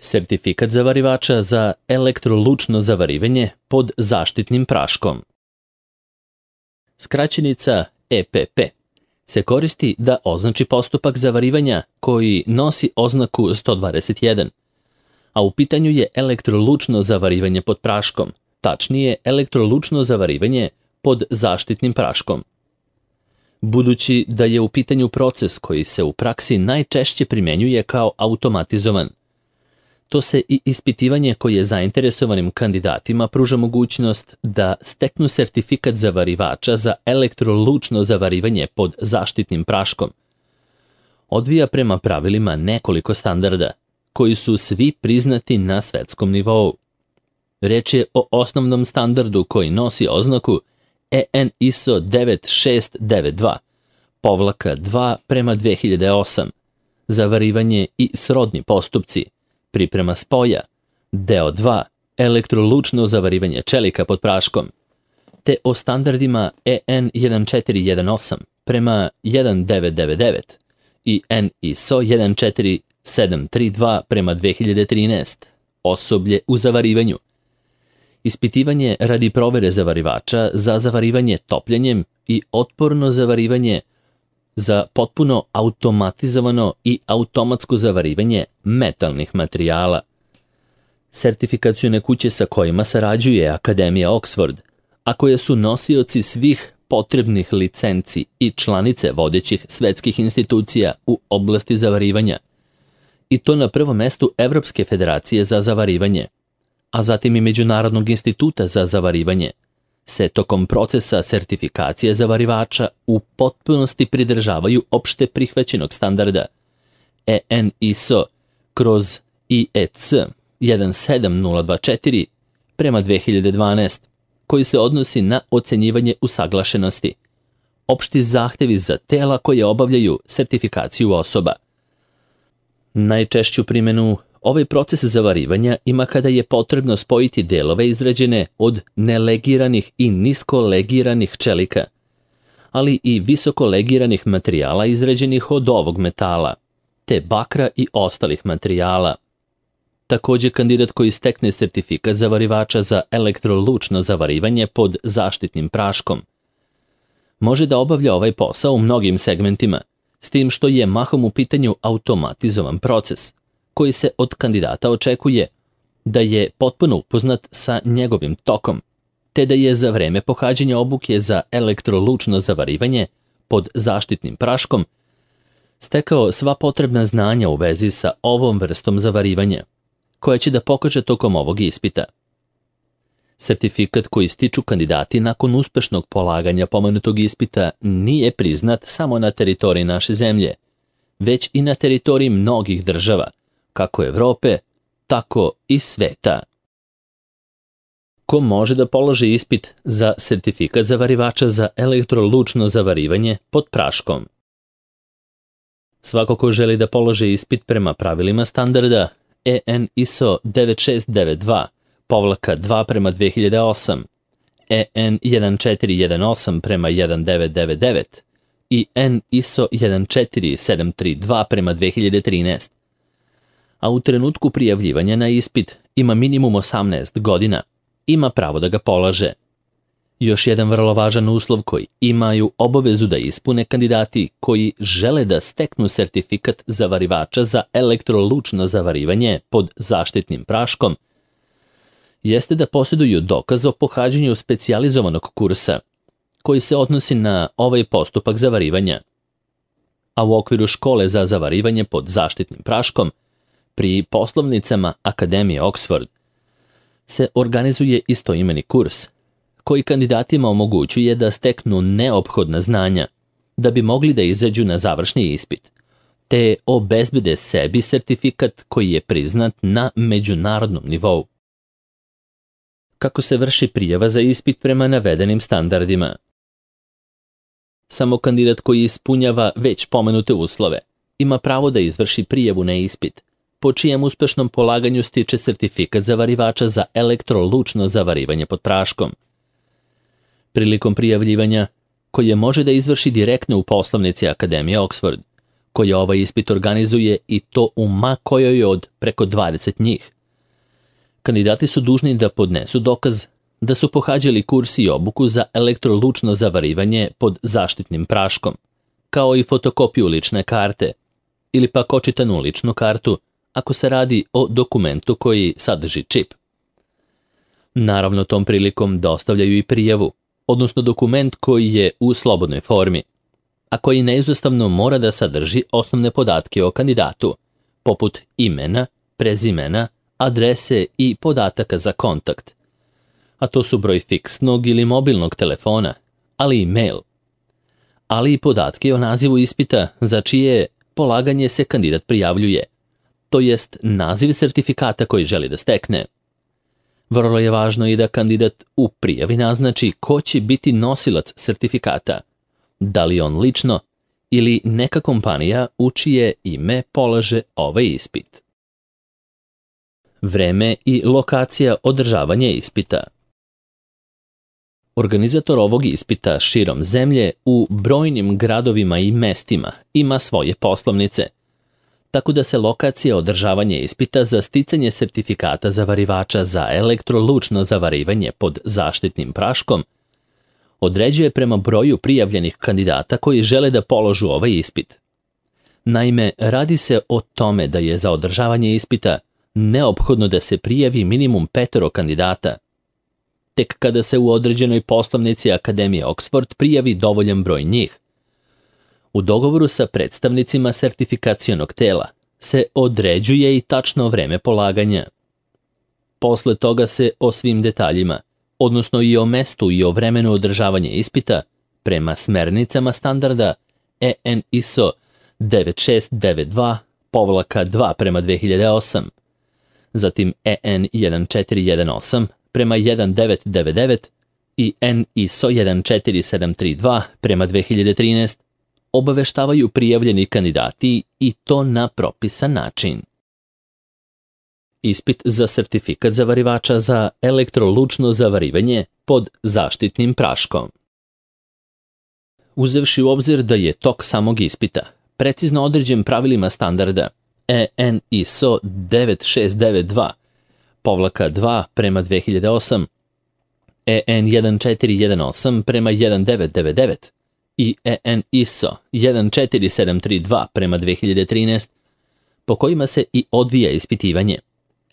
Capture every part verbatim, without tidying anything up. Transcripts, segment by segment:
Sertifikat zavarivača za elektrolučno zavarivanje pod zaštitnim praškom. Skraćenica E P P se koristi da označi postupak zavarivanja koji nosi oznaku sto dvadeset jedan, a u pitanju je elektrolučno zavarivanje pod praškom, tačnije elektrolučno zavarivanje pod zaštitnim praškom. Budući da je u pitanju proces koji se u praksi najčešće primenjuje kao automatizovan, to se i ispitivanje koje zainteresovanim kandidatima pruža mogućnost da steknu sertifikat zavarivača za elektrolučno zavarivanje pod zaštitnim praškom odvija prema pravilima nekoliko standarda, koji su svi priznati na svetskom nivou. Reč je o osnovnom standardu koji nosi oznaku E N I S O devet šest devet dva povlaka dva prema dve hiljade osam, zavarivanje i srodni postupci, priprema spoja, deo dva, elektrolučno zavarivanje čelika pod praškom, te o standardima E N jedan četiri jedan osam prema jedan devet devet devet i N I S O jedan četiri sedam tri dva prema dve hiljade trinaest, osoblje u zavarivanju. Ispitivanje radi provere zavarivača za zavarivanje topljenjem i otporno zavarivanje za potpuno automatizovano i automatsko zavarivanje metalnih materijala. Sertifikacione kuće sa kojima sarađuje Akademija Oxford, a koje su nosioci svih potrebnih licenci i članice vodećih svetskih institucija u oblasti zavarivanja, i to na prvom mestu Evropske federacije za zavarivanje, a zatim i Međunarodnog instituta za zavarivanje, se tokom procesa sertifikacije zavarivača u potpunosti pridržavaju opšte prihvaćenog standarda E N I S O kroz I E C jedan sedam nula dva četiri prema dve hiljade dvanaest, koji se odnosi na ocenjivanje usaglašenosti, opšti zahtevi za tela koje obavljaju sertifikaciju osoba. Najčešću primjenu ovaj proces zavarivanja ima kada je potrebno spojiti delove izrađene od nelegiranih i niskolegiranih čelika, ali i visokolegiranih materijala izrađenih od ovog metala, te bakra i ostalih materijala. Također, kandidat koji stekne sertifikat zavarivača za elektrolučno zavarivanje pod zaštitnim praškom može da obavlja ovaj posao u mnogim segmentima, s tim što je mahom u pitanju automatizovan proces, koji se od kandidata očekuje da je potpuno upoznat sa njegovim tokom, te da je za vreme pohađanja obuke za elektrolučno zavarivanje pod zaštitnim praškom stekao sva potrebna znanja u vezi sa ovom vrstom zavarivanja, koja će da pokaže tokom ovog ispita. Sertifikat koji stiču kandidati nakon uspešnog polaganja pomenutog ispita nije priznat samo na teritoriji naše zemlje, već i na teritoriji mnogih država, kako Evrope, tako i sveta. Ko može da položi ispit za sertifikat zavarivača za elektrolučno zavarivanje pod praškom? Svako ko želi da položi ispit prema pravilima standarda E N I S O devet šest devet dva povlaka dva prema dve hiljade osam, E N jedan četiri jedan osam prema jedan devet devet devet i N I S O jedan četiri sedam tri dva prema dve hiljade trinaest, a u trenutku prijavljivanja na ispit ima minimum osamnaest godina, ima pravo da ga polaže. Još jedan vrlo važan uslov koji imaju obavezu da ispune kandidati koji žele da steknu sertifikat zavarivača za elektrolučno zavarivanje pod zaštitnim praškom jeste da posjeduju dokaz o pohađanju specijalizovanog kursa koji se odnosi na ovaj postupak zavarivanja. A u okviru škole za zavarivanje pod zaštitnim praškom pri poslovnicama Akademije Oxford se organizuje istoimeni kurs koji kandidatima omogućuje da steknu neophodna znanja da bi mogli da izađu na završni ispit, te obezbede sebi sertifikat koji je priznat na međunarodnom nivou. Kako se vrši prijava za ispit prema navedenim standardima? Samo kandidat koji ispunjava već pomenute uslove ima pravo da izvrši prijavu na ispit, po čijem uspešnom polaganju stiče sertifikat zavarivača za elektrolučno zavarivanje pod praškom. Prilikom prijavljivanja, koje može da izvrši direktno u poslovnici Akademije Oxford, koja ovaj ispit organizuje i to u ma kojoj od preko dvadeset njih. Kandidati su dužni da podnesu dokaz da su pohađali kurs i obuku za elektrolučno zavarivanje pod zaštitnim praškom, kao i fotokopiju lične karte ili pak očitanu ličnu kartu ako se radi o dokumentu koji sadrži čip. Naravno, tom prilikom dostavljaju i prijavu, odnosno dokument koji je u slobodnoj formi, a koji neizostavno mora da sadrži osnovne podatke o kandidatu, poput imena, prezimena, adrese i podataka za kontakt, a to su broj fiksnog ili mobilnog telefona, ali i mail, ali i podatke o nazivu ispita za čije polaganje se kandidat prijavljuje, to jest naziv sertifikata koji želi da stekne. Vrlo je važno i da kandidat u prijavi naznači ko će biti nosilac sertifikata, da li on lično ili neka kompanija u čije ime polaže ovaj ispit. Vreme i lokacija održavanja ispita. Organizator ovog ispita širom zemlje u brojnim gradovima i mestima ima svoje poslovnice, tako da se lokacija održavanja ispita za sticanje sertifikata zavarivača za elektrolučno zavarivanje pod zaštitnim praškom određuje prema broju prijavljenih kandidata koji žele da položu ovaj ispit. Naime, radi se o tome da je za održavanje ispita neophodno da se prijavi minimum petoro kandidata. Tek kada se u određenoj poslovnici Akademije Oxford prijavi dovoljan broj njih, u dogovoru sa predstavnicima sertifikacionog tela se određuje i tačno vreme polaganja. Posle toga se o svim detaljima, odnosno i o mestu i o vremenu održavanja ispita, prema smernicama standarda E N I S O devet šest devet dva dva prema dve hiljade osam, zatim E N jedan četiri jedan osam prema jedan devet devet devet i N I S O jedan četiri sedam tri dva prema dve hiljade trinaest, obaveštavaju prijavljeni kandidati i to na propisan način. Ispit za sertifikat zavarivača za elektrolučno zavarivanje pod zaštitnim praškom. Uzevši u obzir da je tok samog ispita precizno određen pravilima standarda E N I S O devet šest devet dva dva prema dve hiljade osam, E N jedan četiri jedan osam prema jedan devet devet devet i E N I S O jedan četiri sedam tri dva prema dve hiljade trinaest, po kojima se i odvija ispitivanje,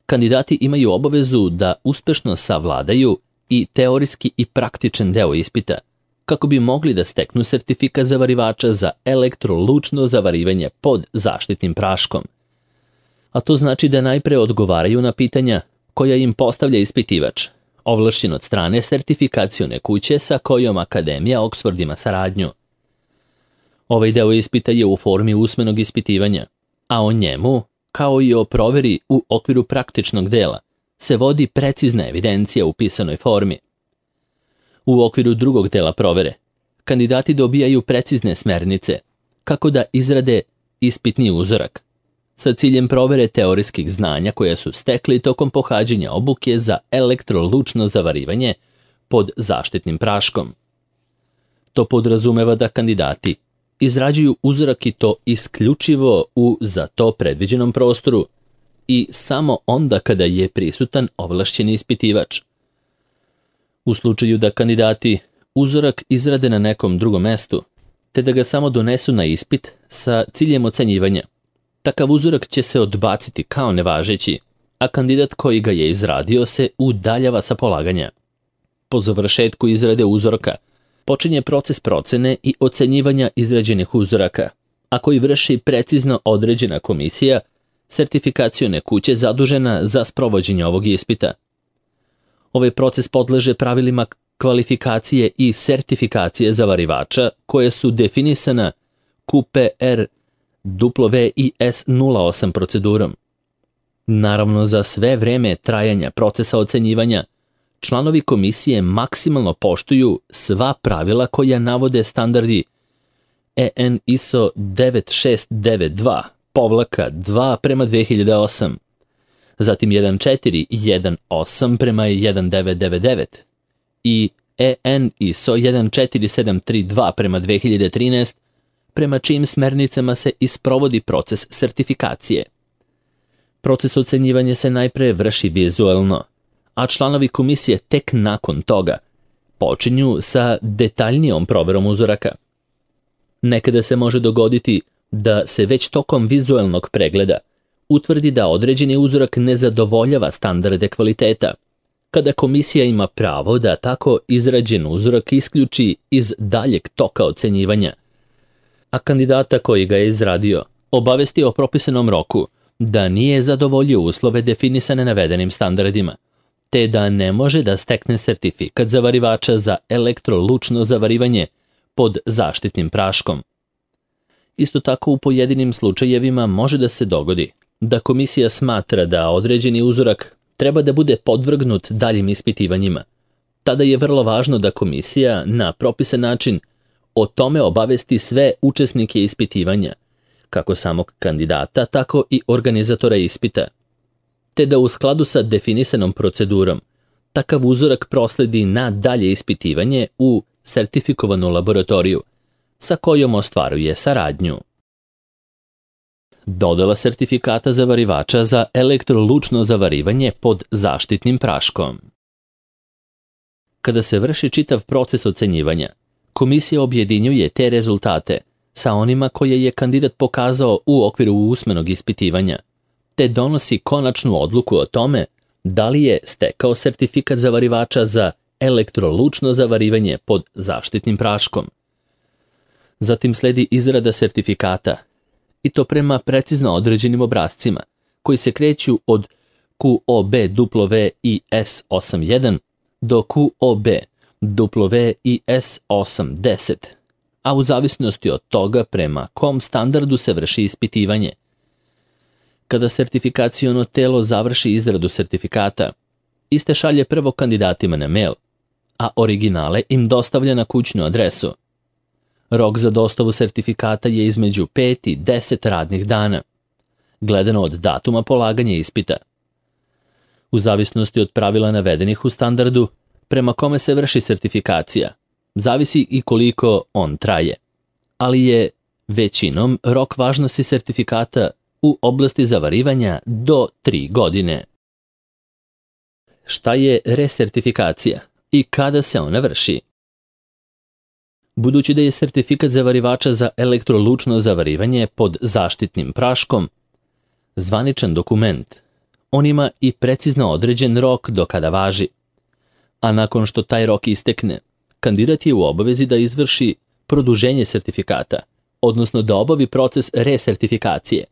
kandidati imaju obavezu da uspešno savladaju i teorijski i praktičan deo ispita, kako bi mogli da steknu sertifikat zavarivača za elektrolučno zavarivanje pod zaštitnim praškom. A to znači da najpre odgovaraju na pitanja koja im postavlja ispitivač, ovlašćen od strane sertifikacione kuće sa kojom Akademija Oxford ima saradnju. Ovaj deo ispita je u formi usmenog ispitivanja, a o njemu, kao i o proveri u okviru praktičnog dela, se vodi precizna evidencija u pisanoj formi. U okviru drugog dela provere, kandidati dobijaju precizne smernice kako da izrade ispitni uzorak, sa ciljem provere teorijskih znanja koja su stekli tokom pohađanja obuke za elektrolučno zavarivanje pod zaštitnim praškom. To podrazumeva da kandidati izrađuju uzorak i to isključivo u za to predviđenom prostoru i samo onda kada je prisutan ovlašćeni ispitivač. U slučaju da kandidati uzorak izrade na nekom drugom mestu, te da ga samo donesu na ispit sa ciljem ocenjivanja, takav uzorak će se odbaciti kao nevažeći, a kandidat koji ga je izradio se udaljava sa polaganja. Po završetku izrade uzorka počinje proces procene i ocenjivanja izrađenih uzoraka, a koji vrši precizno određena komisija sertifikacione kuće zadužena za sprovođenje ovog ispita. Ovaj proces podleže pravilima kvalifikacije i sertifikacije zavarivača koje su definisana Q P R W I S nula osam procedurom. Naravno, za sve vreme trajanja procesa ocenjivanja, članovi komisije maksimalno poštuju sva pravila koja navode standardi E N I S O devet šest devet dva dva prema dve hiljade osam, zatim jedan četiri jedan osam prema jedan devet devet devet i E N I S O jedan četiri sedam tri dva prema dve hiljade trinaest prema čijim smernicama se isprovodi proces sertifikacije. Proces ocenjivanja se najpre vrši vizuelno, a članovi komisije tek nakon toga počinju sa detaljnijom proverom uzoraka. Nekada se može dogoditi da se već tokom vizuelnog pregleda utvrdi da određeni uzorak ne zadovoljava standarde kvaliteta, kada komisija ima pravo da tako izrađen uzorak isključi iz daljeg toka ocenjivanja, a kandidata koji ga je izradio obavesti o propisanom roku da nije zadovoljio uslove definisane navedenim standardima, te da ne može da stekne sertifikat zavarivača za elektrolučno zavarivanje pod zaštitnim praškom. Isto tako u pojedinim slučajevima može da se dogodi da komisija smatra da određeni uzorak treba da bude podvrgnut daljim ispitivanjima. Tada je vrlo važno da komisija na propisan način o tome obavesti sve učesnike ispitivanja, kako samog kandidata, tako i organizatora ispita, te da u skladu sa definisanom procedurom takav uzorak prosledi na dalje ispitivanje u sertifikovanu laboratoriju, sa kojom ostvaruje saradnju. Dodela sertifikata zavarivača za elektrolučno zavarivanje pod zaštitnim praškom. Kada se vrši čitav proces ocenjivanja, komisija objedinjuje te rezultate sa onima koje je kandidat pokazao u okviru usmenog ispitivanja, te donosi konačnu odluku o tome da li je stekao sertifikat zavarivača za elektrolučno zavarivanje pod zaštitnim praškom. Zatim sledi izrada sertifikata, i to prema precizno određenim obrascima, koji se kreću od Q O B W I S osam jedan do Q O B W I S osam deset, a u zavisnosti od toga prema kom standardu se vrši ispitivanje. Kada sertifikaciono telo završi izradu sertifikata, iste šalje prvo kandidatima na mail, a originale im dostavlja na kućnu adresu. Rok za dostavu sertifikata je između pet i deset radnih dana, gledano od datuma polaganja ispita. U zavisnosti od pravila navedenih u standardu, prema kome se vrši sertifikacija, zavisi i koliko on traje, ali je većinom rok važnosti sertifikata u oblasti zavarivanja do tri godine. Šta je resertifikacija i kada se ona vrši? Budući da je sertifikat zavarivača za elektrolučno zavarivanje pod zaštitnim praškom zvaničan dokument, on ima i precizno određen rok do kada važi, a nakon što taj rok istekne, kandidat je u obavezi da izvrši produženje sertifikata, odnosno da obavi proces resertifikacije.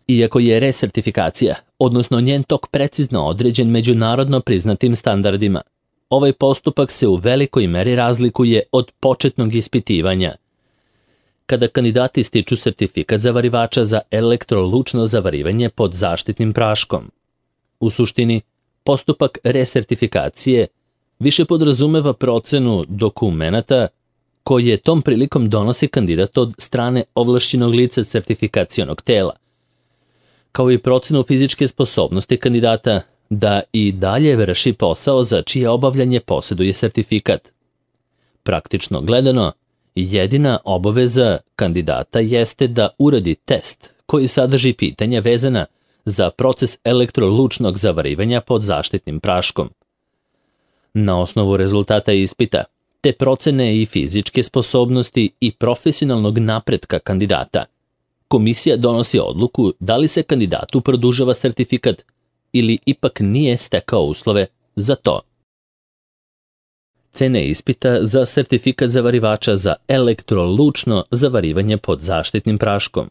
Iako je resertifikacija, odnosno njen tok precizno određen međunarodno priznatim standardima, ovaj postupak se u velikoj meri razlikuje od početnog ispitivanja. Kada kandidati stiču sertifikat zavarivača za elektrolučno zavarivanje pod zaštitnim praškom. U suštini, postupak resertifikacije više podrazumeva procenu dokumenata koje tom prilikom donosi kandidat od strane ovlašćenog lica sertifikacionog tela, kao i procenu fizičke sposobnosti kandidata da i dalje vrši posao za čije obavljanje posjeduje sertifikat. Praktično gledano, jedina obaveza kandidata jeste da uradi test koji sadrži pitanja vezana za proces elektrolučnog zavarivanja pod zaštitnim praškom. Na osnovu rezultata ispita, te procene i fizičke sposobnosti i profesionalnog napretka kandidata, komisija donosi odluku da li se kandidatu produžava sertifikat ili ipak nije stekao uslove za to. Cene ispita za sertifikat zavarivača za elektrolučno zavarivanje pod zaštitnim praškom.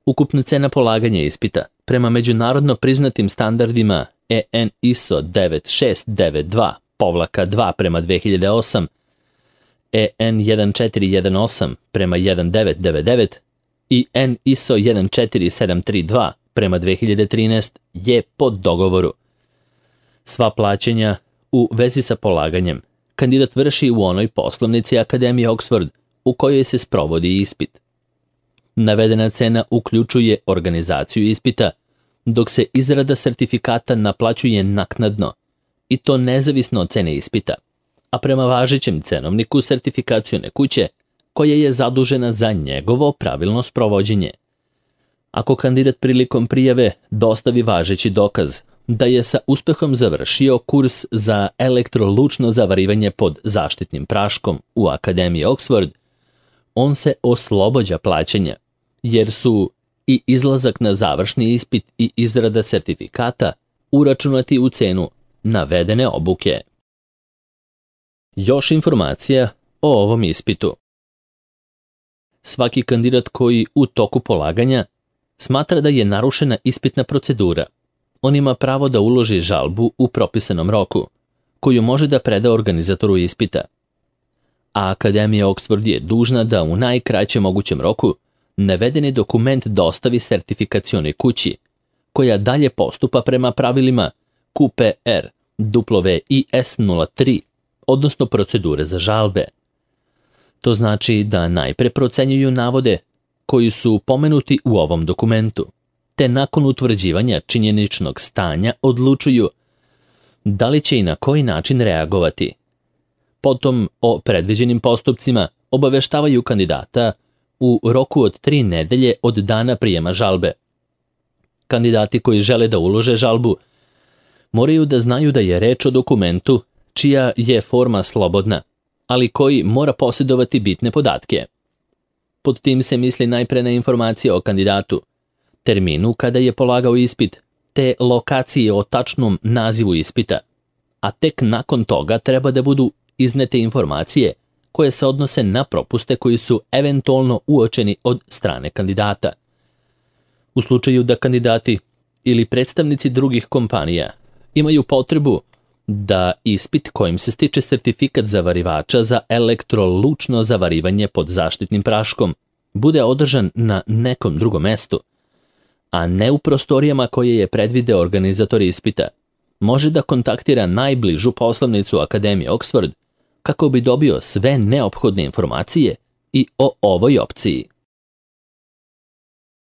Ukupna cena polaganja ispita prema međunarodno priznatim standardima E N I S O devet šest devet dva dva prema dve hiljade osam, E N jedan četiri jedan osam prema jedan devet devet devet i N I S O jedan četiri sedam tri dva prema dve hiljade trinaest je po dogovoru. Sva plaćanja u vezi sa polaganjem kandidat vrši u onoj poslovnici Akademije Oxford u kojoj se sprovodi ispit. Navedena cena uključuje organizaciju ispita, dok se izrada sertifikata naplaćuje naknadno, i to nezavisno od cene ispita, a prema važećem cenovniku sertifikacione kuće koja je zadužena za njegovo pravilno sprovođenje. Ako kandidat prilikom prijave dostavi važeći dokaz da je sa uspehom završio kurs za elektrolučno zavarivanje pod zaštitnim praškom u Akademiji Oxford, on se oslobađa plaćanja, jer su i izlazak na završni ispit i izrada sertifikata uračunati u cenu navedene obuke. Još informacija o ovom ispitu. Svaki kandidat koji u toku polaganja smatra da je narušena ispitna procedura, on ima pravo da uloži žalbu u propisanom roku, koju može da preda organizatoru ispita. A Akademija Oxford je dužna da u najkraćem mogućem roku navedeni dokument dostavi sertifikacionoj kući, koja dalje postupa prema pravilima Q P R W I S nula tri, odnosno procedure za žalbe. To znači da najpre procenjuju navode koji su pomenuti u ovom dokumentu, te nakon utvrđivanja činjeničnog stanja odlučuju da li će i na koji način reagovati. Potom o predviđenim postupcima obaveštavaju kandidata u roku od tri nedelje od dana prijema žalbe. Kandidati koji žele da ulože žalbu moraju da znaju da je reč o dokumentu čija je forma slobodna, ali koji mora posjedovati bitne podatke. Pod tim se misli najpre na informacije o kandidatu, terminu kada je polagao ispit, te lokacije o tačnom nazivu ispita, a tek nakon toga treba da budu iznete informacije koje se odnose na propuste koji su eventualno uočeni od strane kandidata. U slučaju da kandidati ili predstavnici drugih kompanija imaju potrebu da ispit kojim se stiče sertifikat zavarivača za elektrolučno zavarivanje pod zaštitnim praškom bude održan na nekom drugom mestu, a ne u prostorijama koje je predvideo organizator ispita, može da kontaktira najbližu poslovnicu Akademije Oxford kako bi dobio sve neophodne informacije i o ovoj opciji.